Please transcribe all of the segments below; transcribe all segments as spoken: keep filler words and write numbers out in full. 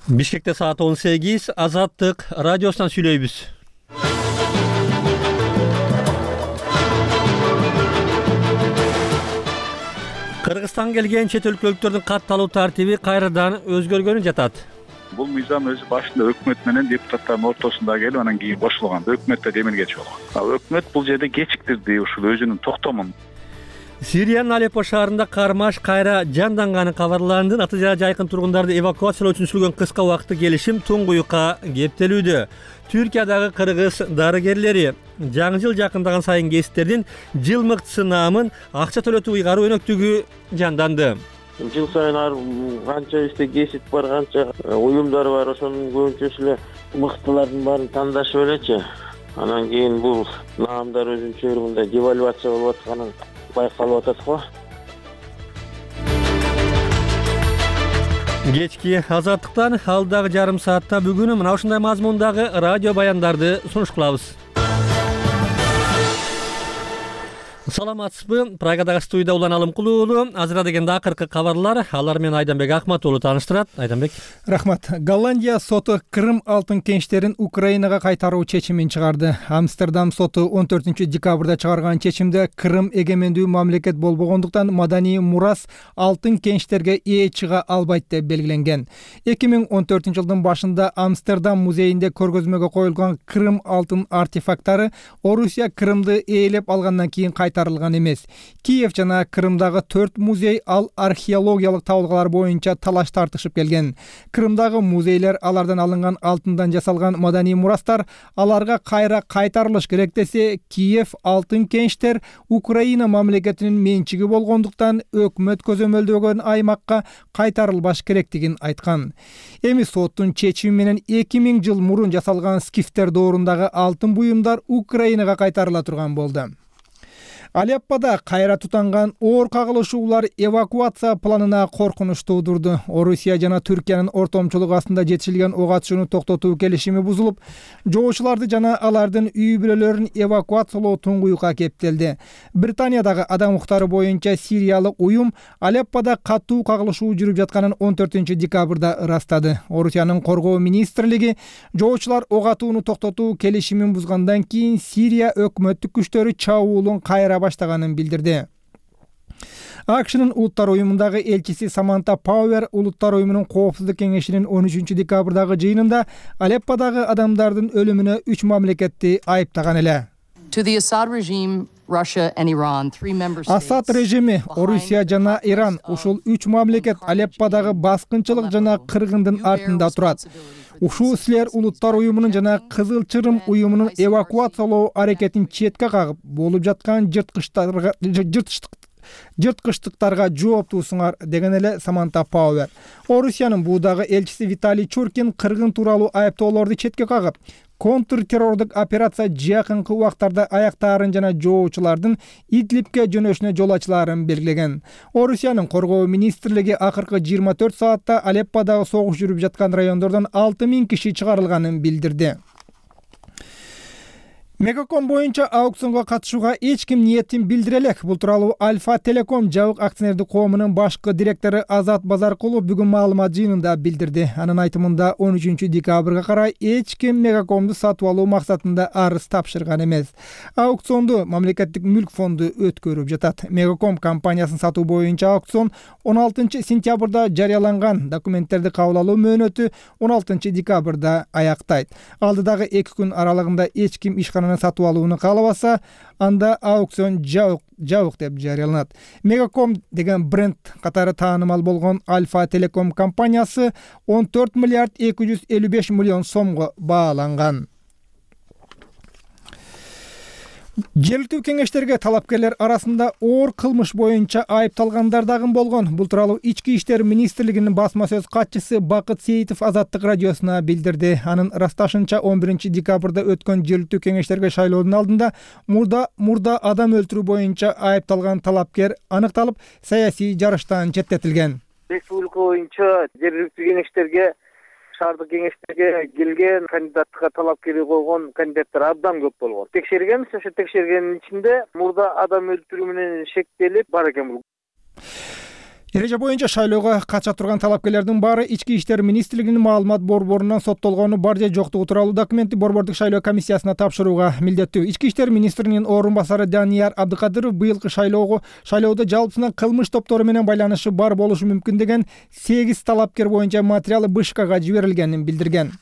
Бишкекте саат он сегиз. Азаттык радиосунан сүйлөйбүз. Кыргызстанга келген чет өлкөлүктөрдүн катталуу тартиби кайрадан өзгөргөнү жатат. Бул мыйзам өзү башында өкмөт менен депутаттардын ортосунда келип, анан кийин кошулган. Өкмөттө демилгечи болгон. Өкмөт бул жерде кечиктирди ушул өзүнүн токтомун. Сириянын Алеппо шаарында кармаш кайра жанданганы кабарланды. Натыйжада жайкын тургундарды эвакуациялоо үчүн сүргөн кыска убакыттык келишим туңгуюкка кептелүүдө. Түркиядагы кыргыз дарыгерлери жаңы жыл жакындаган сайын кесиптердин жылмыктысы наамын акча төлөтүү ыйгаруу өнөктүгү жанданды. Жыл сайын канча бизде кесип бар, канча уюмдар бар, ошонун көбүнчөсү эле мыктылардын баарын тандашып элечи. Анан кийин бул наамдар өзүнчө бир мындай девальвация болуп атканын байкалып атат го. Кечки азаттыктан алдагы жарым саатта бүгүн мына ушундай мазмундагы радио баяндарды сунуш кылабыз. Саламатсызбы? Прагадагы студияда Улан Алымкулуу уулу. Азырда дегенде акыркы кабарлар. Алар менен Айданбек Ахмат уулу тааныштырат. Айданбек. Рахмат. Голландия соту Крым алтын кеништерин Украинага кайтаруу чечимин чыгарды. Амстердам соту он төртүнчү декабрда чыгарган чечимде Крым эгемендүү мамлекет болбогондуктан маданий мурас алтын кеништерге ээ чыга албайт деп белгиленген. эки миң он төртүнчү жылдын башында Амстердам музейинде көргөзмөгө коюлган Крым алтын артефакттары Орусия Крымды ээлеп алгандан кийин кайтарылган эмес. Киев жана Крымдагы төрт музей ал археологиялык табылгалар боюнча талаш тартышып келген. Крымдагы музейлер алардан алынган алтындан жасалган маданий мурастар аларга кайра кайтарылыш керек десе, Киев алтын кеништер Украина мамлекетинин менчиги болгондуктан өкмөт көзөмөлдөгөн аймакка кайтарылбаш керектигин айткан. Эми соттун чечими менен эки миң жыл мурун жасалган скифтер доорундагы алтын буюмдар Украинага кайтарыла турган болду. Алеппода кайра тутанган оор кагылышуулар эвакуация планына коркунуч туудурду. Орусия жана Түркиянын ортомчулугу астында жетишилген ок атышууну токтотуу келишими бузулуп, жоочуларды жана алардын үй бүлөлөрүн эвакуациялоо туңгуюкка кептелди. Британиядагы адам укуктары боюнча Сириялык уюм Алеппода катуу кагылышуу жүрүп жатканын он төртүнчү декабрда ырастады. Орусиянын коргоо министрлиги жоочулар ок атууну токтотуу келишимин бузгандан кийин Сирия өкмөттүк күчтөрү чабуулун кайра баштаганын билдирди. АКШнын улуттар уюмундагы элчиси Саманта Пауэр улуттар уюмунун коопсуздук кеңешинин он үчүнчү декабрдагы жыйынында Алепподагы адамдардын өлүмүнө үч мамлекетти айыптаган эле. Асад режими, Орусия жана Иран ушул үч мамлекет Алепподагы баскынчылык жана кыргындын артында турат. Ушул силер улуттар уюмунун жана Кызыл Чырым уюмунун эвакуациялоо аракетин четке кагып, болуп жаткан жырткычтарга жырткычтыктарга жооптуусуңар деген эле Саманта Пауэр. Орусиянын буудагы элчиси Виталий Чуркин кыргын тууралуу айыптоолорду четке кагып, контртеррордук операция жакынкы убактарда аяктаарын жана жоочулардын Идлибке жөнөшүнө жол ачылаарын белгилеген. Орусиянын коргоо министрлиги акыркы жыйырма төрт саатта Алепподагы согуш жүрүп жаткан райондордон алты миң киши чыгарылганын билдирди. Мегаком боюнча аукционго катышууга эч ким ниетин билдире элек. Бул тууралуу Альфа Телеком жабык акционердик коомунун башкы директору Азат Базаркулов бүгүн маалымат жыйынында билдирди. Анын айтымында он үчүнчү декабрга карай эч ким Мегакомду сатып алуу максатында арыз тапшырган эмес. Аукционду мамлекеттик мүлк фонду өткөрүп жатат. Мегаком компаниясын сатуу боюнча аукцион он алтынчы сентябрда жарыяланган, документтерди кабыл алуу мөөнөтү он алтынчы декабрда аяктайт. Алдыдагы эки күн аралыгында эч ким ишкананы сатып алууну каалабаса, анда аукцион жабык жабык деп жарыяланат. Мегаком деген бренд катары таанымал болгон Альфа Телеком компаниясы он төрт миллиард эки жүз элүү беш миллион сомго бааланган. Жергиликтүү кеңештерге талапкерлер арасында оор кылмыш боюнча айыпталгандар дагы болгон. Бул тууралуу Ички иштер министрлигинин басма сөз катчысы Бакыт Сейитов Азаттык радиосуна билдирди. Анын ырасташынча он биринчи декабрда өткөн жергиликтүү кеңештерге шайлоодун алдында мурда мурда адам өлтүрүү боюнча айыпталган талапкер аныкталып, саясий жарыштан четтетилген. Республика боюнча жергиликтүү кеңештерге шаардык кеңештерге келген кандидаттыкка талапкери койгон кандидаттар абдан көп болгон. Текшергенбиз, ошо текшергендин ичинде мурда адам өлтүрүү менен шектелип бар экен бул. Эреже боюнча шайлоого катыша турган талапкерлердин баары Ички иштер министрлигинин маалымат борборунан соттолгону бар же жоктугу тууралуу документти борбордук шайлоо комиссиясына тапшырууга милдеттүү. Ички иштер министринин орун басары Данияр Абдыкадыров быйылкы шайлоого шайлоодо жалпысынан кылмыш топтору менен байланышы бар болушу мүмкүн деген сегиз талапкер боюнча материал БШКга жиберилгенин билдирген.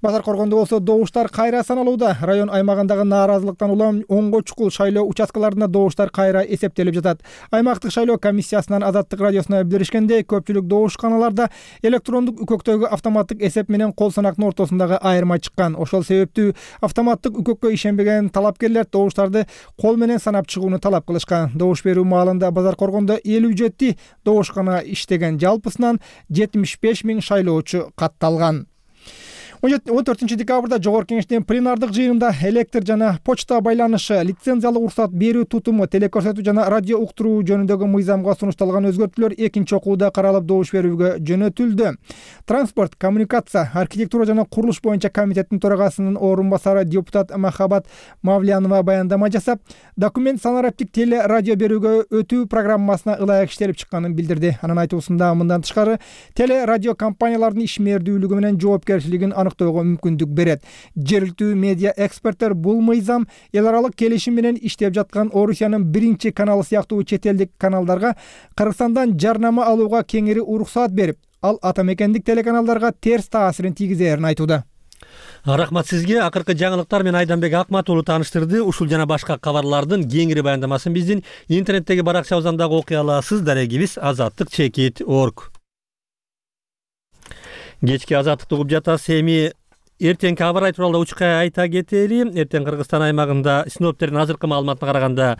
Базар Коргондо болсо добуштар кайра саналууда. Район аймагындагы нааразылыктан улам онго чукул шайлоо участкаларында добуштар кайра эсептелип жатат. Аймактык шайлоо комиссиясынан Азаттык радиосуна билдиришкенде, көпчүлүк добушканаларда электрондук үкөктөгү автоматтык эсеп менен кол санактын ортосундагы айырма чыккан. Ошол себептүү автоматтык үкөккө ишенбеген талапкерлер добуштарды кол менен санап чыгууну талап кылышкан. Добуш берүү маалында Базар Коргондо элүү жети добушкана иштеген. Жалпысынан жетимиш беш миң шайлоочу катталган. он төртүнчү декабрда Жогорку Кеңештин пленардык жыйынында электр жана почта байланышы, лицензиялык уруксат берүү тутуму, телекөрсөтүү жана радио уктуруу жөнүндөгү мыйзамга сунушталган өзгөртүүлөр экинчи окууда каралып добуш берүүгө жөнөтүлдү. Транспорт, коммуникация, архитектура жана курулуш боюнча комитеттин төрагасынын орун басары депутат Махабат Мавлянова баяндама жасап, документ санариптик теле радио берүүгө өтүү программасына ылайык иштелип чыкканын билдирди. Анын айтуусунда мындан тышкары теле радио компаниялардын ишмердүүлүгү менен жоопкерчилигин аныктоого мүмкүндүк берет. Жергиликтүү медиа эксперттер бул мыйзам эл аралык келишим менен иштеп жаткан Орусиянын биринчи каналы сыяктуу чет элдик каналдарга Кыргызстандан жарнама алууга кеңири уруксаат берип, ал ата мекендик телеканалдарга терс таасирин тийгизерин айтууда. Рахмат сизге. Акыркы жаңылыктар менен Айданбек Акмат уулу тааныштырды. Ушул жана башка кабарлардын кеңири баяндамасын биздин интернеттеги баракчабыздан дагы окуй аласыз. Дарегибиз азаттык чекит точка орг. Кечки азаттыкты угуп жатасыз. Эми эртеңки аба ырайы тууралуу учка айта кетели. Эртең Кыргызстан аймагында синоптиктердин азыркы маалыматына караганда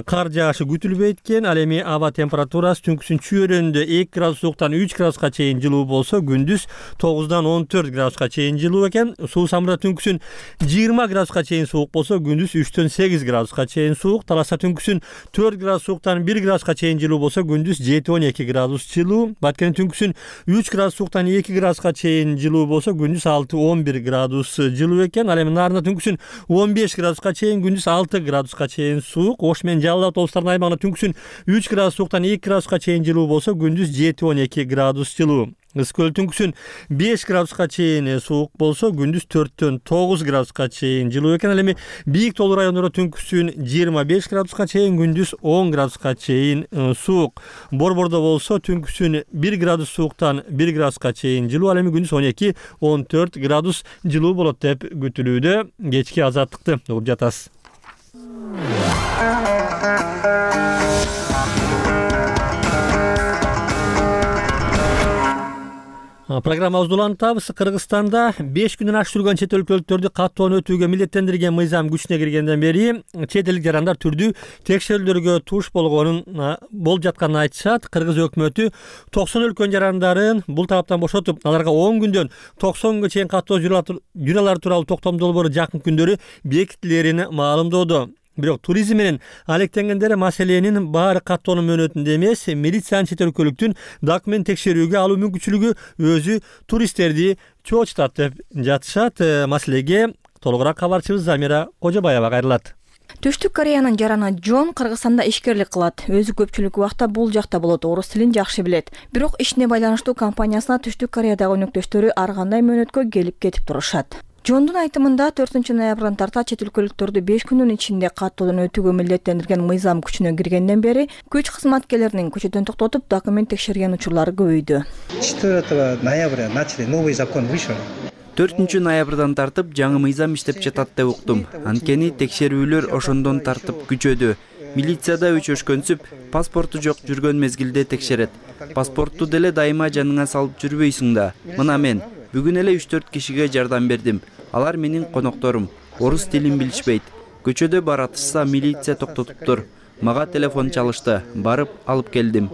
кар жаашы күтүлбөйт экен. Ал эми аба температурасы түнкүсүн чүйөрөндө эки градус сууктан үч градуска чейин жылуу болсо, күндүз тогуздан он төрт градуска чейин жылуу экен. Суу самырда түнкүсүн жыйырма градуска чейин суук болсо, күндүз үчтөн сегиз градуска чейин суук. Таласта түнкүсүн төрт градус сууктан бир градуска чейин жылуу болсо, күндүз жети он эки градус жылуу. Баткен түнкүсүн үч градус сууктан эки градуска чейин жылуу болсо, күндүз алты он бир градус жылуу экен. Ал эми Нарында түнкүсүн он беш градуска чейин, күндүз алты градуска чейин суук. Ош менен Жалал Абад облустарынын аймагында түнкүсүн үч градус сууктан эки градуска чейин жылуу болсо, күндүз жети он эки градус жылуу. Ысык көл түнкүсүн беш градуска чейин суук болсо, күндүз төрттөн тогуз градуска чейин жылуу экен. Ал эми бийик тоолуу райондордо түнкүсүн жыйырма беш градуска чейин, күндүз он градуска чейин суук. Борбордо болсо түнкүсүн бир градус сууктан бир градуска чейин жылуу, ал эми күндүз он эки он төрт градус жылуу болот деп күтүлүүдө. Кечки азаттыкты угуп жатасыз. Программабызды улантабыз. Кыргызстанда беш күндөн ашык жүргөн чет өлкөлүктөрдү каттоон өтүүгө милдеттендирген мыйзам күчүнө киргенден бери чет элдик жарандар түрдүү текшерүүлөргө туш болгонун болуп жатканын айтышат. Кыргыз өкмөтү токсон өлкөнүн жарандарын бул талаптан бошотуп, аларга он күндөн токсон күнгө чейин каттоо журалары тууралуу токтом долбоору жакын күндөрү бекитилерин маалымдоодо. Бирок туризм менен алектенгендер маселенин баары каттоонун мөөнөтүндө эмес, милициянын чет өлкөлүктүн документ текшерүүгө алуу мүмкүнчүлүгү өзү туристтерди чоочутат деп жатышат. Маселеге толугураак кабарчыбыз Замира Кожобаева кайрылат. Түштүк Кореянын жараны Джон Кыргызстанда ишкерлик кылат. Өзү көпчүлүк убакта бул жакта болот, орус тилин жакшы билет. Бирок ишине байланыштуу компаниясына Түштүк Кореядагы өнөктөштөрү ар кандай мөөнөткө келип кетип турушат. Жондун айтымында төртүнчү ноябрдан тарта чет өлкөлүктөрдү беш күндүн ичинде каттоодон өтүүгө милдеттендирген мыйзам күчүнө киргенден бери күч кызматкерлеринин көчөдөн токтотуп документ текшерген учурлары көбөйдү. четвёртого ноября начали новый закон вышел. төртүнчү ноябрдан тартып жаңы мыйзам иштеп жатат деп уктум. Анткени текшерүүлөр ошондон тартып күчөдү. Милицияда өчөшкөнсүп, паспорту жок жүргөн мезгилде текшерет. Паспортту деле дайыма жаныңа салып жүрбөйсүң да. Мына мен бүгүн эле үч төрт кишиге жардам бердим. Алар менин конокторум. Орус тилин билишпейт. Көчөдө баратышса милиция токтотуптур. Мага телефон чалышты. Барып алып келдим.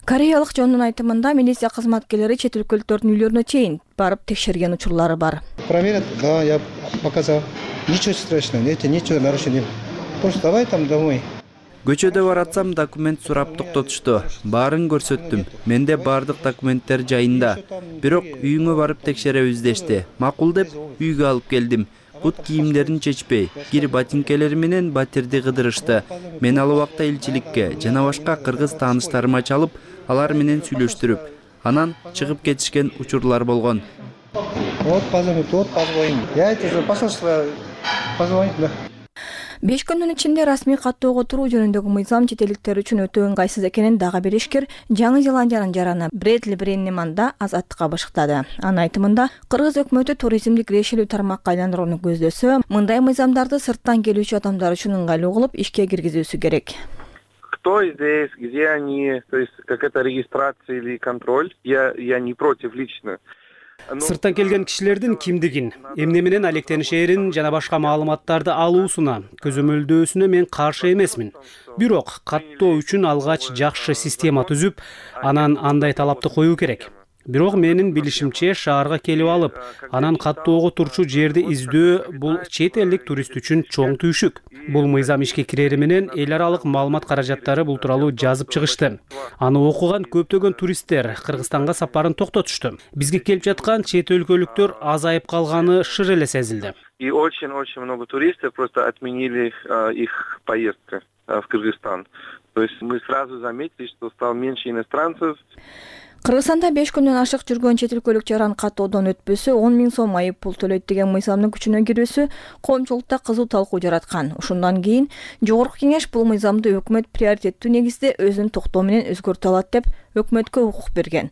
Кореялык Жондун айтымында милиция кызматкерлери чет өлкөлүктөрдүн үйлөрүнө чейин барып текшерген учурлары бар. Проверят, да, я показал. Ничего страшного, нет, ничего нарушения. Просто давай там домой. Көчөдө баратсам документ сурап токтотушту. Баарын көрсөттүм. Менде баардык документтер жайында. Бирок үйүңө барып текшеребиз дешти. Макул деп үйгө алып келдим. бут кийимдерин чечпей, кир ботинкелери менен батирди кыдырышты. Мен ал убакта элчиликке жана башка кыргыз тааныштарыма чалып, алар менен сүйлөштүрүп, анан чыгып кетишкен учурлар болгон. Вот позвонить, вот позвонить. Я тебе посольство позвонить, да. беш күндүн ичинде расмий каттоого туруу жөнүндөгү мыйзам чет элдиктер үчүн өтө ыңгайсыз экенин дагы бир ишкер Жаңы Зеландиянын жараны Бредли Бреннеман да Азаттыкка башыктады. Анын айтымында, кыргыз өкмөтү туризмди кирешелүү тармакка айландырууну көздөсө, мындай мыйзамдарды сырттан келүүчү адамдар үчүн ыңгайлуу кылып ишке киргизүүсү керек. Кто здесь, где они, то есть как это регистрация или контроль, я, я не против лично. Сырттан келген кишилердин кимдигин, эмне менен алектенишерин жана башка маалыматтарды алуусуна, көзөмөлдөөсүнө мен каршы эмесмин. Бирок каттоо үчүн алгач жакшы система түзүп, анан андай талапты коюу керек. Бирок менин билишимче шаарга келип алып, анан каттоого турчу жерди издөө бул чет элдик турист үчүн чоң түйшүк. Бул мыйзам ишке кирери менен эл аралык маалымат каражаттары бул тууралуу жазып чыгышты. Аны окуган көптөгөн туристтер Кыргызстанга сапарын токтотушту. Бизге келип жаткан чет өлкөлүктөр азайып калганы шыр эле сезилди. И очень-очень много туристов просто отменили э, их поездку э, в Кыргызстан. То есть мы сразу заметили, что стало меньше иностранцев. Кыргызстанда беш күндөн ашык жүргөн чет өлкөлүк жаран каттоодон өтпөсө он миң сом айып пул төлөйт деген мыйзамдын күчүнө кирүүсү коомчулукта кызуу талкуу жараткан. Ушундан кийин Жогорку Кеңеш бул мыйзамды өкмөт приоритеттүү негизде өзүнүн токтоо менен өзгөртө алат деп өкмөткө укук берген.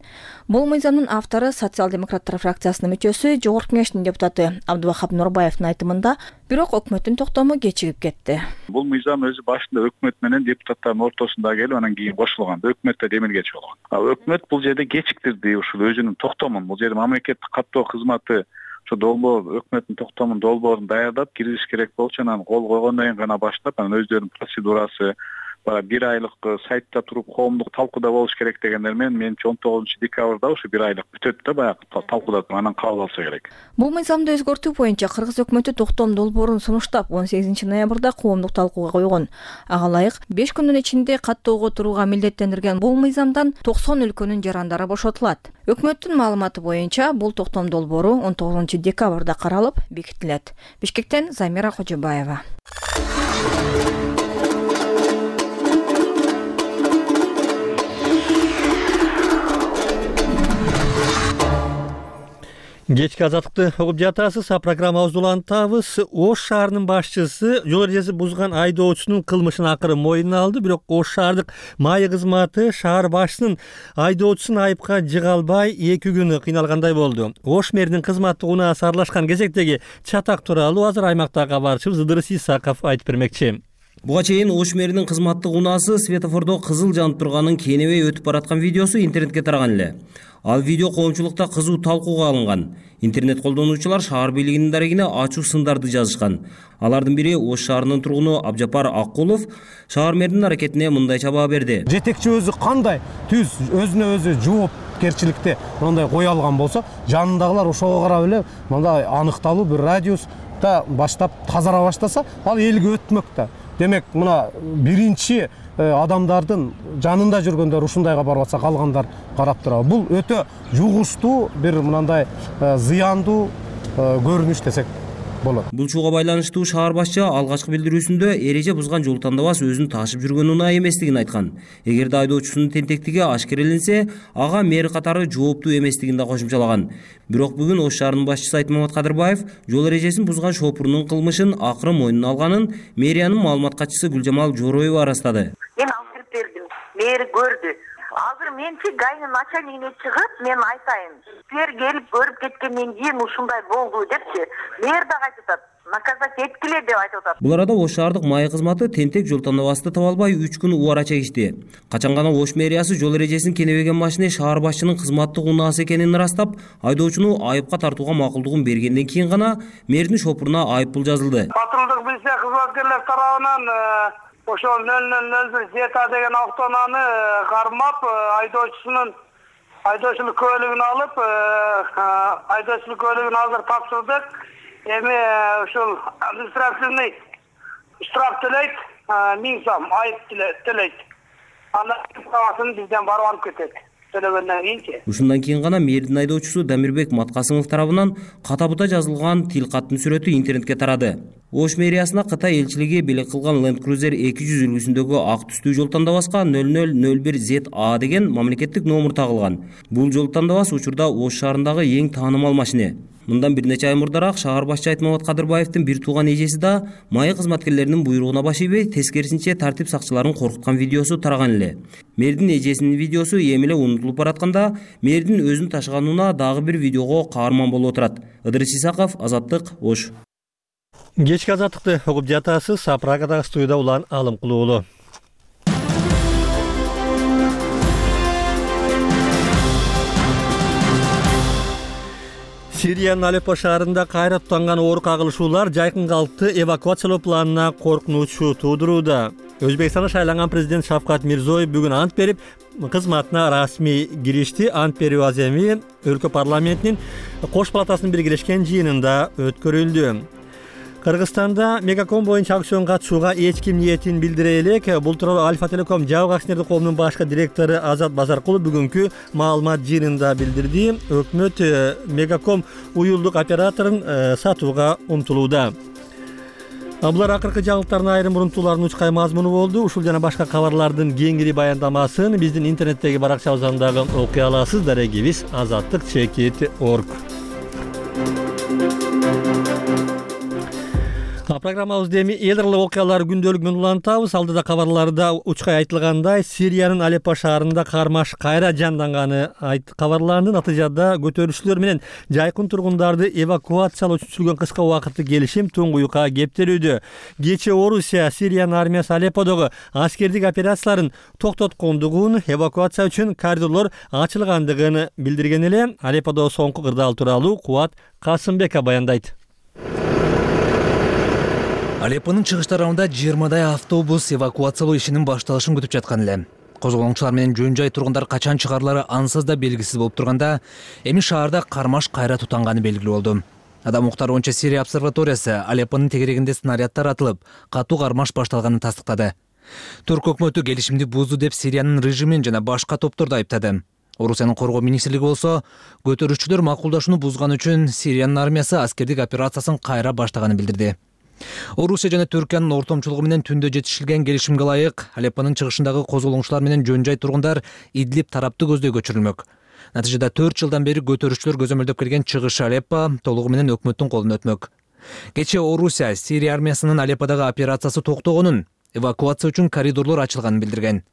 Бул мыйзамдын автору социал-демократтар фракциясынын мүчөсү, Жогорку Кеңештин депутаты Абдубахап Нурбаевдин айтымында, бирок өкмөттүн токтому кечигип кетти. Бул мыйзам өзү башында өкмөт менен депутаттардын ортосунда келип, анан кийин кошулган. Өкмөттө демилгечи болгон. А өкмөт бул жерде кечиктирди ушул өзүнүн токтомун. Бул жерде мамлекеттик каттоо кызматы ошо долбоор өкмөттүн токтомун долбоорун даярдап киргизиш керек болчу, анан кол койгондон кийин гана баштап, анан өздөрүнүн процедурасы бара бир айлык сайтта туруп коомдук талкууда болуш керек дегендер менен менимче он тогузунчу декабрда ушу бир айлык бүтөт да баягы талкууда анан кабыл алса керек. Бул мыйзамды өзгөртүү боюнча кыргыз өкмөтү токтом долбоорун сунуштап он сегизинчи ноябрда коомдук талкууга койгон. Ага ылайык беш күндүн ичинде каттоого турууга милдеттендирген бул мыйзамдан токсон өлкөнүн жарандары бошотулат. Өкмөттүн маалыматы боюнча бул токтом долбоору он тогузунчу декабрда каралып бекитилет. Бишкектен Замира Кожобаева. Кечки азаттыкты угуп жатасыз. А программабызды улантабыз. Ош шаарынын башчысы жол эрежесин бузган айдоочунун кылмышын акыры мойнуна алды. Бирок Ош шаардык майы кызматы шаар башчысынын айдоочусун айыпка жыга албай эки күнү кыйналгандай болду. Ош мэринин кызматтык унаасы аралашкан кезектеги чатак тууралуу азыр аймактагы кабарчыбыз Ыдырыс Исаков айтып бермекчи. Буга чейин Ош мэринин кызматтык унаасы светофордо кызыл жанып турганын кeenебей өтүп бараткан видеосу интернетке тараган эле. Ал видео коомчулукта кызуу талкууга алынган. Интернет колдонуучулар шаар бийлигинин дарегине ачуу сындарды жазышкан. Алардын бири Ош шаарынын тургуну Абжапар Аккулов шаар мэринин аракетине мындай чабаа берди. Жетекчи өзү кандай түз өзүнө өзү жоопкерчиликти мындай кое алган болсо, жанындагылар ошого карап эле мындай аныкталуу бир радиуста баштап тазара баштаса, ал элге өтмөк да. Демек, мына биринчи адамдардын жанында жүргөндөр ушундайга барып атса, калгандар карап турат. Бул өтө жугуштуу бир мындай зыяндуу көрүнүш десек болот. Бул чууга байланыштуу шаар башчы алгачкы билдирүүсүндө эреже бузган жол тандабас өзүн ташып жүргөн унаа эместигин айткан. Эгерде айдоочусунун тентектиги ашкереленсе, ага мэр катары жооптуу эместигин да кошумчалаган. Бирок бүгүн Ош шаарынын башчысы Айтмамат Кадырбаев жол эрежесин бузган шопурунун кылмышын акыры мойнуна алганын мэриянын маалымат катчысы Гүлжамал Жороева арастады. Мен алып бердим, мэр көрдү. Азыр менчи гайнын начальнигине чыгып, мен айтайын. Силер келип көрүп кеткенден кийин ушундай болду депчи. Мэр да айтып атат. Наказать эткиле деп айтып атат. Бул арада Ош шаардык майы кызматы тентек жол тандабасты таба албай үч күн убара чегишти. Качан гана Ош мэриясы жол эрежесин кенебеген машине шаар башчынын кызматтык унаасы экенин ырастап, айдоочуну айыпка тартууга макулдугун бергенден кийин гана мэрдин шопуруна айып пул жазылды. Патрулдук милиция кызматкерлер тарабынан ошол нөл нөл нөл бир Зета деген автоунааны кармап, айдоочусунун айдоочулук көлүгүн алып, айдоочулук көлүгүн азыр тапшырдык. Эми ушул административный штраф төлөйт, миң сом айып төлөйт. Андан калгасын бизден барып алып кетет. төлөгөндөн кийинчи. Ушундан кийин гана мэрдин айдоочусу Дамирбек Маткасымов тарабынан ката-бута жазылган тил каттын сүрөтү интернетке тарады. Ош мэриясына Кытай элчилиги белек кылган Land Cruiser эки жүз үлгүсүндөгү ак түстүү жол тандабаска нөл нөл нөл бир зет а деген мамлекеттик номер тагылган. Бул жол тандабас учурда Ош шаарындагы эң таанымал машине. Мындан бир нече ай мурдараак шаар башчы Айтмамат Кадырбаевдин бир тууган эжеси да майы кызматкерлеринин буйругуна баш ийбей, тескерисинче тартип сакчыларын коркуткан видеосу тараган эле. Мэрдин эжесинин видеосу эми эле унутулуп баратканда, мэрдин өзүн ташыганына дагы бир видеого каарман болуп отурат. Ыдырыс Исаков, Азаттык, Ош. Кечки азаттыкты угуп жатасыз. Прагадагы студияда Улан Алымкулуу. Сириянын Алеппо шаарында кайра тутанган оор кагылышуулар жайкын калкты эвакуациялоо планына коркунучу туудурууда. Өзбекстанда шайланган президент Шавкат Мирзиёев бүгүн ант берип, кызматына расмий киришти. Ант берүү аземи өлкө парламентинин кош палатасынын биргелешкен жыйынында өткөрүлдү. Кыргызстанда Мегаком боюнча аукцион катышууга эч ким ниетин билдире элек. Бул тууралуу Альфа Телеком жабык акционердик коомунун башкы директору Азат Базаркулов бүгүнкү маалымат жыйынында билдирди. Өкмөт Мегаком уюлдук операторун сатууга умтулууда. Булар акыркы жаңылыктардын айрым мурунтуулардын учкай мазмуну болду. Ушул жана башка кабарлардын кеңири баяндамасын биздин интернеттеги баракчабыздан дагы окуй аласыз. Дарегибиз азаттык чекит точка орг. Программабызды эми эл аралык окуялар күндөлүгүнөн улантабыз. Алдыда кабарларда учкай айтылгандай, Сириянын Алеппо шаарында кармаш кайра жанданганы кабарланды. Натыйжада көтөрүлүшчүлөр менен жайкын тургундарды эвакуациялоо үчүн сүргөн кыска убакыттык келишим туңгуюкка кептелүүдө. Кечээ Орусия Сириянын армиясы Алепподогу аскердик операцияларын токтоткондугун, эвакуация үчүн коридорлор ачылгандыгын билдирген эле. Алепподо соңку кырдаал тууралуу Кубат Касымбеков баяндайт. Алеппонун чыгыш тарабында жыйырмадай автобус эвакуациялоо ишинин башталышын күтүп жаткан эле. Козголоңчулар менен жөн жай тургундар качан чыгарылары ансыз да белгисиз болуп турганда, эми шаарда кармаш кайра тутанганы белгилүү болду. Адам уктаруунча Сирия обсерваториясы Алеппонун тегерегинде снаряддар атылып, катуу кармаш башталганын тастыктады. Түрк өкмөтү келишимди бузду деп Сириянын режимин жана башка топторду айыптады. Орусиянын коргоо министрлиги болсо, көтөрүүчүлөр макулдашууну бузган үчүн Сириянын армиясы аскердик операциясын кайра баштаганын билдирди. Орусия жана Түркиянын ортомчулугу менен түндө жетишилген келишимге ылайык Алеппонун чыгышындагы козголоңчулар менен жөн жай тургундар Идлиб тарапты көздөй көчүрүлмөк. Натыйжада төрт жылдан бери көтөрүүчүлөр көзөмөлдөп келген чыгыш Алеппо толугу менен өкмөттүн колуна өтмөк. Кечээ Орусия Сирия армиясынын Алепподагы операциясы токтогонун, эвакуация үчүн коридорлор ачылганын билдирген.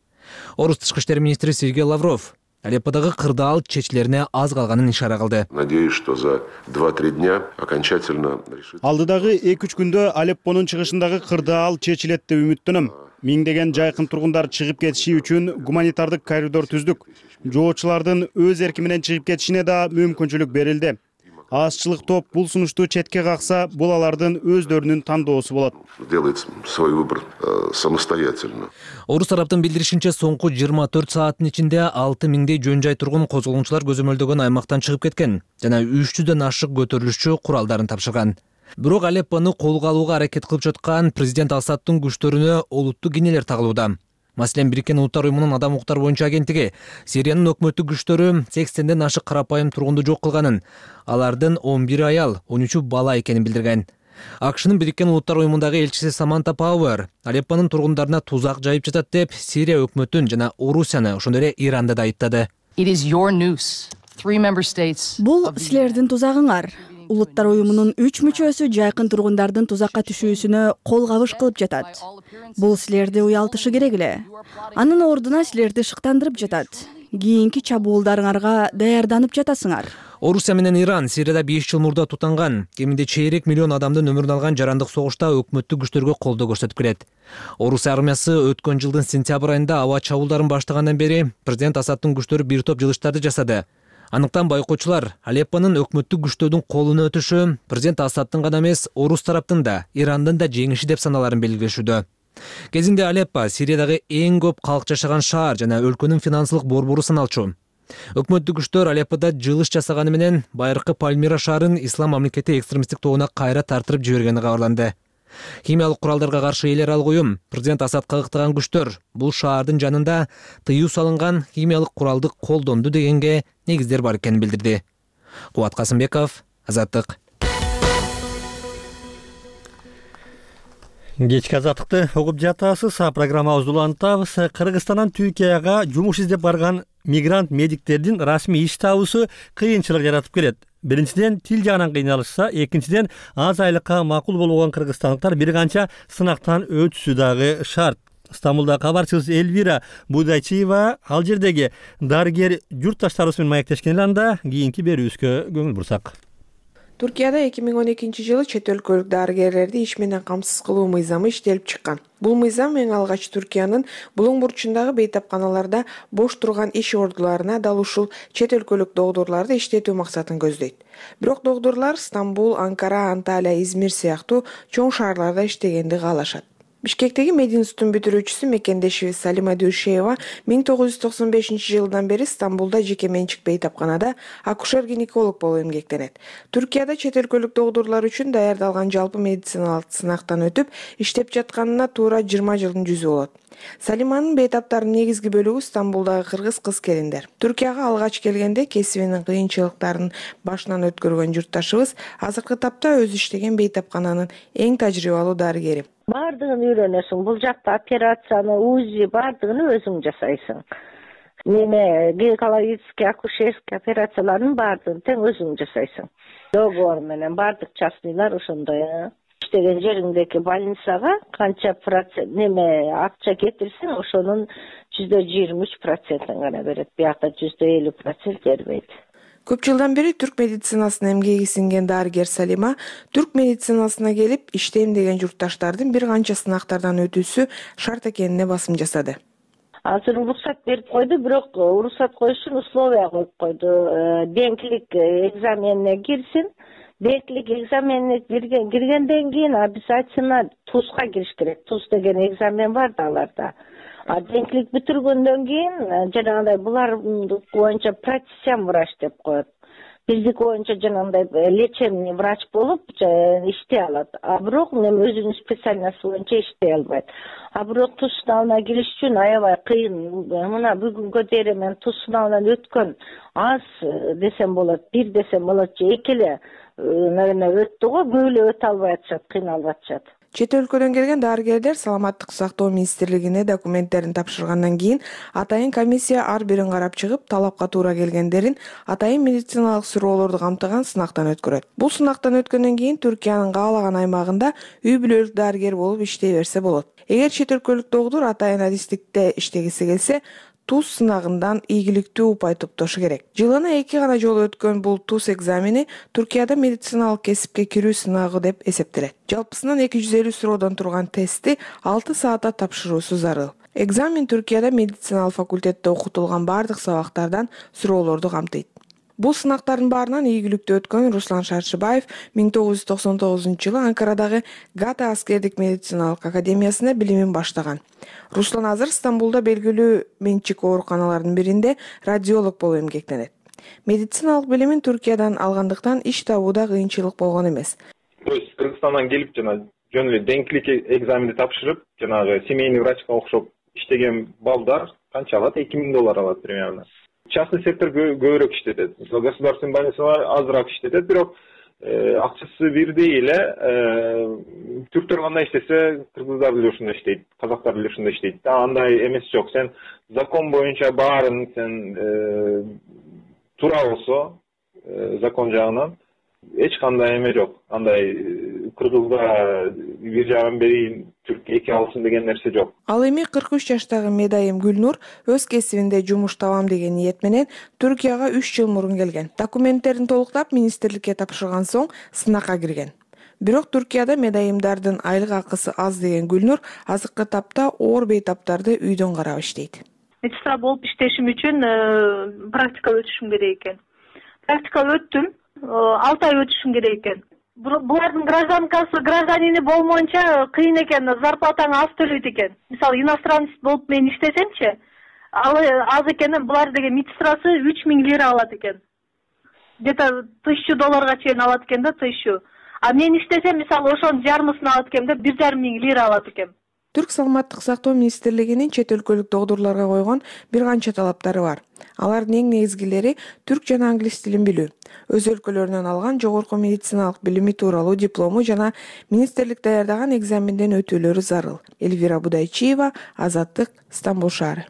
Орус тышкы иштер министри Сергей Лавров Алепподагы кырдаал чечилерине аз калганын ишара кылды. Надеюсь, что за два-три дня окончательно решит. Алдыдагы эки үч күндө Алеппонун чыгышындагы кырдаал чечилет деп үмүттөнөм. Миңдеген жайкын тургундар чыгып кетиши үчүн гуманитардык коридор түздүк. Жоочулардын өз эрки менен чыгып кетишине да мүмкүнчүлүк берилди. Азчылык топ бул сунушту четке какса, бул алардын өздөрүнүн тандоосу болот. Делает свой выбор самостоятельно. Орус тараптын билдиришинче, соңку жыйырма төрт сааттын ичинде алты миңдей жөн жай тургун козголоңчулар көзөмөлдөгөн аймактан чыгып кеткен жана үч жүздөн ашык көтөрүлүшчү куралдарын тапшырган. Бирок Алеппону колго алууга аракет кылып жаткан президент Асадтын күчтөрүнө олуттуу кинелер тагылууда. Маселен, Бириккен Улуттар уюмунун адам укуктар боюнча агенттиги Сириянын өкмөттүк күчтөрү сексенден ашык карапайым тургунду жок кылганын, алардын он бир аял, он үчү бала экенин билдирген. АКШнын Бириккен Улуттар уюмундагы элчиси Саманта Пауэр Алеппонун тургундарына тузак жайып жатат деп Сирия өкмөтүн жана Орусияны, ошондой эле Иранды да айыптады. Бул силердин тузагыңар. Улуттар уюмунун үч мүчөсү жайкын тургундардын тузакка түшүүсүнө кол кабыш кылып жатат. Бул силерди уялтышы керек эле. Анын ордуна силерди шыктандырып жатат. Кийинки чабуулдарыңарга даярданып жатасыңар. Орусия менен Иран Сирияда беш жыл мурда тутанган, кеминде чейрек миллион адамдын өмүрүн алган жарандык согушта өкмөттүк күчтөргө колдоо көрсөтүп келет. Орусия армиясы өткөн жылдын сентябрь айында аба чабуулдарын баштагандан бери президент Асадтын күчтөрү бир топ жылыштарды жасады. Аныктан байкоочулар Алеппонун өкмөттүк күчтөрдүн колуна өтүшү президент Асадтын гана эмес, Орус тараптын да, Ирандын да жеңиши деп саналарын белгилешүүдө. Кезинде Алеппо Сириядагы эң көп калк жашаган шаар жана өлкөнүн финансылык борбору саналчу. Өкмөттүк күчтөр Алепподо жылыш жасаганы менен байыркы Пальмира шаарын ислам мамлекети экстремисттик тобуна кайра тартырып жибергени кабарланды. Химиялык куралдарга каршы эл аралык уюм президент Асадка ыктаган күчтөр бул шаардын жанында тыюу салынган химиялык куралды колдонду дегенге негиздер бар экенин билдирди. Кубат Касымбеков, Азаттык. Кечки азаттыкты угуп жатасыз. Программабызды улантабыз. Кыргызстандан Түркияга жумуш издеп барган мигрант медиктердин расмий иш табуусу кыйынчылык жаратып келет. Биринчиден тил жагынан кыйналышса, экинчиден аз айлыкка макул болгон кыргызстандыктар бир канча сынактан өтүшү дагы шарт. Стамбулда кабарчыбыз Эльвира Будайчиева ал жердеги дарыгер журтташтарыбыз менен маектешкен анда кийинки берүүбүзгө көңүл бурсак. Түркияда эки миң он экинчи жылы чет өлкөлүк дарыгерлерди иш менен камсыз кылуу мыйзамы иштелип чыккан. Бул мыйзам эң алгач Түркиянын булуң бурчундагы бейтапканаларда бош турган иш ордуларына дал ушул чет өлкөлүк доодурларды иштетүү максатын көздөйт. Бирок доодурлар Стамбул, Анкара, Анталия, Измир сыяктуу чоң шаарларда иштегенди каалашат. Бишкектеги мединститутун бүтүрүүчүсү мекендешибиз Салима Дүйшеева миң тогуз жүз токсон бешинчи жылдан бери Стамбулда жеке менчик бейтапканада акушер-гинеколог болуп эмгектенет. Түркияда чет өлкөлүк доодурлар үчүн даярдалган жалпы медициналык сынактан өтүп, иштеп жатканына туура жыйырма жылдын жүзү болот. Салиманын бейтаптарынын негизги бөлүгү Стамбулдагы кыргыз кыз-келиндер. Түркияга алгач келгенде кесибинин кыйынчылыктарын башынан өткөргөн журтташыбыз азыркы тапта өзү иштеген бейтапкананын эң тажрыйбалуу дарыгери. Бардыгын үйрөнөсүң. Бул жакта операцияны, УЗИ бардыгын өзүң жасайсың. Неме гинекологический, акушерский операциялардын бардыгын тең өзүң жасайсың. Договор менен бардык частныйлар ошондой. Иштеген жериңдеки больницага канча процент неме акча кетирсең, ошонун жүздө жыйырма үч процентин гана берет. Биякта жүздө элүү процент бербейт. Көп жылдан бери түрк медицинасына эмгеги сиңген дарыгер Салима түрк медицинасына келип иштейм деген журтташтардын бир канча сынактардан өтүүсү шарт экенине басым жасады. Азыр уруксат берип койду, бирок уруксат коюш үчүн условия коюп койду. Денклик экзаменине кирсин. Денклик экзаменине киргенден кийин обязательно ТУЗга кириш керек. ТУЗ деген экзамен бар да аларда. А денклик бүтүргөндөн кийин жанагындай булар боюнча практикан врач деп коет. Биздики боюнча жанагындай лечебный врач болуп иштей алат. А бирок мен өзүнүн специальности боюнча иштей албайт. А бирок туз сынабына кириш үчүн аябай кыйын. Мына бүгүнгө дейин мен туз сынабынан өткөн аз десем болот, бир десем болот же эки эле өттү го, көп эле өтө албай атышат, кыйналып атышат. Чет өлкөдөн келген дарыгерлер саламаттык сактоо министрлигине документтерин тапшыргандан кийин атайын комиссия ар бирин карап чыгып, талапка туура келгендерин атайын медициналык суроолорду камтыган сынактан өткөрөт. Бул сынактан өткөндөн кийин Түркиянын каалаган аймагында үй бүлөлүк дарыгер болуп иштей берсе болот. Эгер чет өлкөлүк доодур атайын адистикте иштегиси келсе, туз сынагындан ийгиликтүү упай топтошу керек. Жылына эки гана жолу өткөн бул туз экзамени Түркияда медициналык кесипке кирүү сынагы деп эсептелет. Жалпысынан эки жүз элүү суроодон турган тестти алты саатта тапшыруусу зарыл. Экзамен Түркияда медициналык факультетте окутулган бардык сабактардан суроолорду камтыйт. Бул сынактардын баарынан ийгиликтүү өткөн Руслан Шаршыбаев миң тогуз жүз токсон тогузунчу жылы Анкарадагы Гата аскердик медициналык академиясында билимин баштаган. Руслан азыр Стамбулда белгилүү менчик ооруканалардын биринде радиолог болуп эмгектенет. Медициналык билимин Түркиядан алгандыктан иш табууда кыйынчылык болгон эмес. То есть Кыргызстандан келип жана жөн эле денклик экзаменди тапшырып, жанагы семейный врачка окшоп иштеген балдар канча алат? эки миң доллар алат примерно. Частный сектор көбүрөөк иштетет. Государственный больницалар азыраак иштетет, бирок акчасы бирдей эле. Түрктөр кандай иштесе, кыргыздар деле ушундай иштейт, казактар деле ушундай иштейт. Андай эмес жок. Сен закон боюнча баарын сен туура болсо, закон жагынан эч кандай эме жок. Андай кыргызга бир жагын берейин, түрк эки алсын деген нерсе жок. Ал эми кырк үч жаштагы Медайым Гүлнур өз кесибинде жумуш табам деген ниет менен Түркияга үч жыл мурун келген. Документтерин толуктап министрликке тапшырган соң сынакка кирген. Бирок Түркияда медайымдардын айлык акысы аз деген Гүлнур азыркы тапта оор бейтаптарды үйдөн карап иштейт. Медсестра болуп иштешим үчүн практика өтүшүм керек экен. Практика өттүм, алты ай өтүшүм керек экен. Булардын гражданкасы, гражданини болмоюнча кыйын экен, зарплатаңы аз төлөйт экен. Мисалы, иностранец болуп мен иштесемчи, ал аз экен, булар деген медсестрасы үч миң лира алат экен. Где-то тысячу долларга чейин алат экен да, тысячу. А мен иштесем мисалы ошонун жарымысын алат экем да бир жарым миң лира алат экем. Түрк саламаттык сактоо министрлигинин чет өлкөлүк доодурларга койгон бир канча талаптары бар. Алардын эң негизгилери түрк жана англис тилин билүү, өз өлкөлөрүнөн алган жогорку медициналык билими тууралуу диплому жана министрлик даярдаган экзаменден өтүүлөрү зарыл. Эльвира Будайчиева, Азаттык, Стамбул шаары.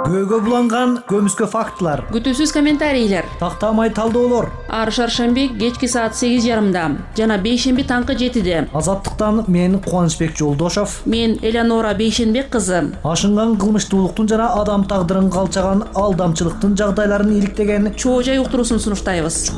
Көйгө буланган көмүскө фактылар, күтүүсүз комментарийлер, тактамай талдоолор. Ар шаршемби кечки саат сегиз жарымда жана бейшемби таңкы жетиде. Азаттыктан мен Кубанычбек Жолдошов, мен Элеонора Бейшенбек кызы. Ашынган кылмыштуулуктун жана адам тагдырын калчаган алдамчылыктын жагдайларын иликтеген Чоо жай уктуруусун сунуштайбыз.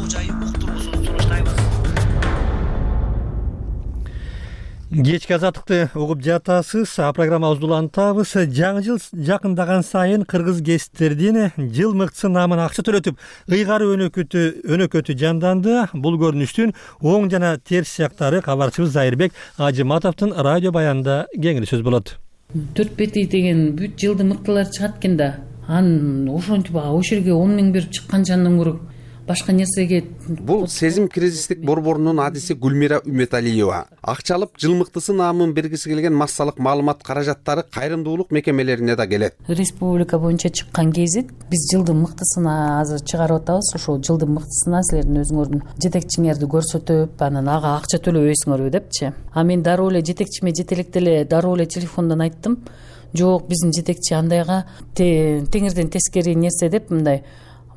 Кечки азаттыкты угуп жатасыз. Программабызды улантабыз. Жаңы жыл жакындаган сайын кыргыз гезиттердин жыл мыкты наамына акча төлөтүп, ыйгары өнөкөтү өнөкөтү жанданды. Бул көрүнүштүн оң жана терс жактары кабарчыбыз Зайырбек Ажыматовдун радио баянында кеңири сөз болот. төрт бети деген бүт жылды мыктылар чыгат экен да. Анын ошентип ошол жерге он миң берип чыккан жандан көрө башка нерсеге. Бул сезим кризистик борборунун адиси Гүлмира Үмөталиева. Акчалып жыл мыктысы наамын бергиси келген массалык маалымат каражаттары кайрымдуулук мекемелерине да келет. Республика боюнча чыккан гезит биз жылдын мыктысына азыр чыгарып атабыз. Ошол жылдын мыктысына силердин өзүңөрдүн жетекчиңерди көрсөтүп, анан ага акча төлөбөйсүңөрбү депчи. А мен дароо эле жетекчиме жете электе эле дароо эле телефондон айттым. Жок, биздин жетекчи андайга теңирден тескери нерсе деп мындай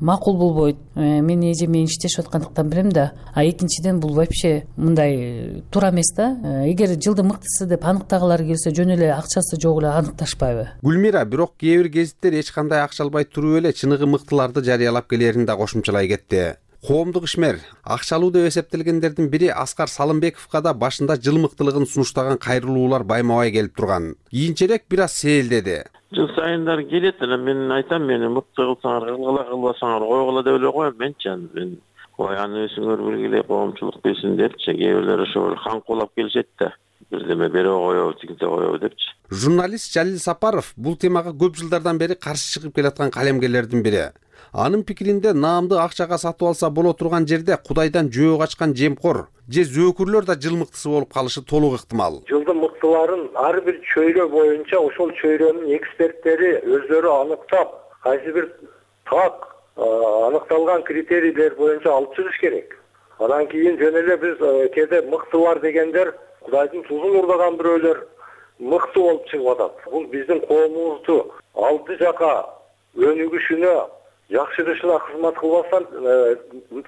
макул болбойт. Мен эже мен иштешип аткандыктан билем да. А экинчиден бул вообще мындай туура эмес да. Эгер жылдын мыктысы деп аныктагалары келсе жөн эле акчасы жок эле аныкташпайбы? Гүлмира бирок кээ бир гезиттер эч кандай акча албай туруп эле чыныгы мыктыларды жарыялап келерин да кошумчалай кетти. Коомдук ишмер, акчалуу деп эсептелгендердин бири Аскар Салымбековго да башында жыл мыктылыгын сунуштаган кайрылуулар байма-бай келип турган. Кийинчерээк бир аз сээлдеди. Жыл сайындар келет эле, мен айтам, мени мыкты кылсаңар, кылгыла кылбасаңар койгула деп эле коем менчи. Мен ой аны өзүңөр белгилей коомчулук билсин депчи, кээ бирлер ошол каңкуулап келишет да. Бирдеме бере коебу, тигинте коебу депчи. Журналист Жалил Сапаров бул темага көп жылдардан бери каршы чыгып келаткан калемгерлердин бири. Анын пикиринде наамды акчага сатып алса боло турган жерде Кудайдан жөө качкан жемкор же зөөкүрлөр да жыл мыктысы болуп калышы толук ыктымал. Жылдын мыктыларын ар бир чөйрө боюнча ошол чөйрөнүн эксперттери өздөрү аныктап, кайсы бир так аныкталган критерийлер боюнча алып чыгыш керек. Андан кийин жөн эле биз кээде мыктылар дегендер Кудайдын тузун урдаган бирөөлөр мыкты болуп чыгып атат. Бул биздин коомубузду алды жака өнүгүшүнө жакшырышына кызмат кылбастан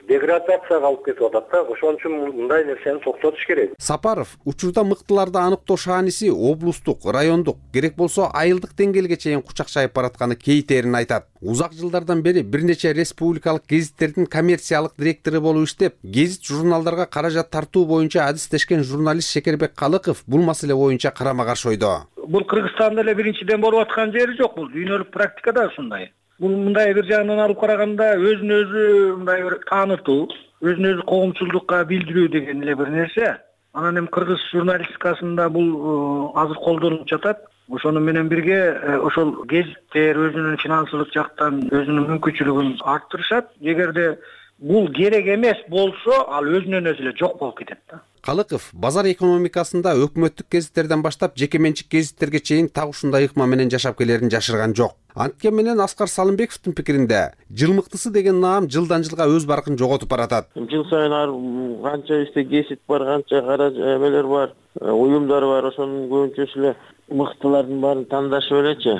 деградацияга алып кетип атат да. Ошон үчүн мындай нерсени токтотуш керек. Сапаров учурда мыктыларды аныктоо шааниси облустук, райондук, керек болсо айылдык деңгээлге чейин кучакчайып баратканы кейтерин айтат. Узак жылдардан бери бир нече республикалык гезиттердин коммерциялык директору болуп иштеп, гезит журналдарга каражат тартуу боюнча адистешкен журналист Шекербек Калыков бул маселе боюнча карама-каршы ойдо. Бул Кыргызстанда эле биринчиден болуп аткан жери жок, бул дүйнөлүк практикада ушундай. Бул мындай бир жагынан алып караганда өзүн өзү мындай бир таанытуу, өзүн өзү коомчулдукка билдирүү деген эле бир нерсе. Анан эми кыргыз журналистикасында бул азыр колдонулуп жатат. Ошону менен бирге ошол гезиттер өзүнүн финансылык жактан өзүнүн мүмкүнчүлүгүн арттырышат. Эгерде бул керек эмес болсо, ал өзүнөн өзү эле жок болуп кетет да. Калыков базар экономикасында өкмөттүк гезиттерден баштап жеке менчик гезиттерге чейин так ушундай ыкма менен жашап келерин жашырган жок. Анткени менен Аскар Салымбековдун пикиринде жыл мыктысы деген наам жылдан жылга өз баркын жоготуп баратат. Жыл сайын ар канча исте гезит бар, канча кара эмелер бар, уюмдар бар, ошонун көбүнчөсү эле мыктылардын баарын тандашып элечи.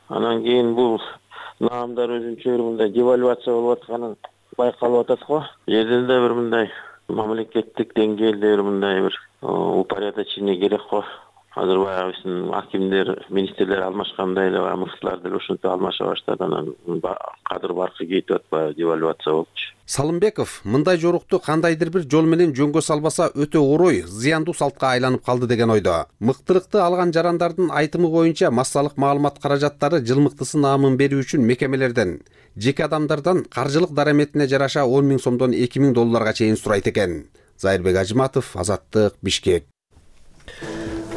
Анан кийин бул наамдар өзүнчө бир мындай девальвация болуп атканы байкалып атат го. Жерден да бир мындай мамлекеттик деңгээлде бир мындай бир упорядочение керек го. Азыр баягы биздин акимдер, министрлер алмашкандай эле мыктылар деле ушинтип алмаша баштады. Анан кадыр баркы кетип атпайбы, девальвация болупчу. Салымбеков мындай жорукту кандайдыр бир жол менен жөнгө салбаса өтө орой, зыяндуу салтка айланып калды деген ойдо. Мыктылыкты алган жарандардын айтымы боюнча массалык маалымат каражаттары жыл мыктысы наамын берүү үчүн мекемелерден, жеке адамдардан каржылык дараметине жараша он миң сомдон эки миң долларга чейин сурайт экен. Зайырбек Ажыматов, Азаттык, Бишкек.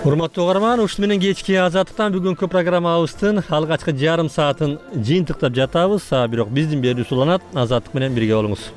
Урматтуу угарман, ушуну менен кечки Азаттыктан бүгүнкү программабыздын алгачкы жарым саатын жыйынтыктап жатабыз. Бирок биздин берүүбүз уланат. Азаттык менен бирге болуңуз.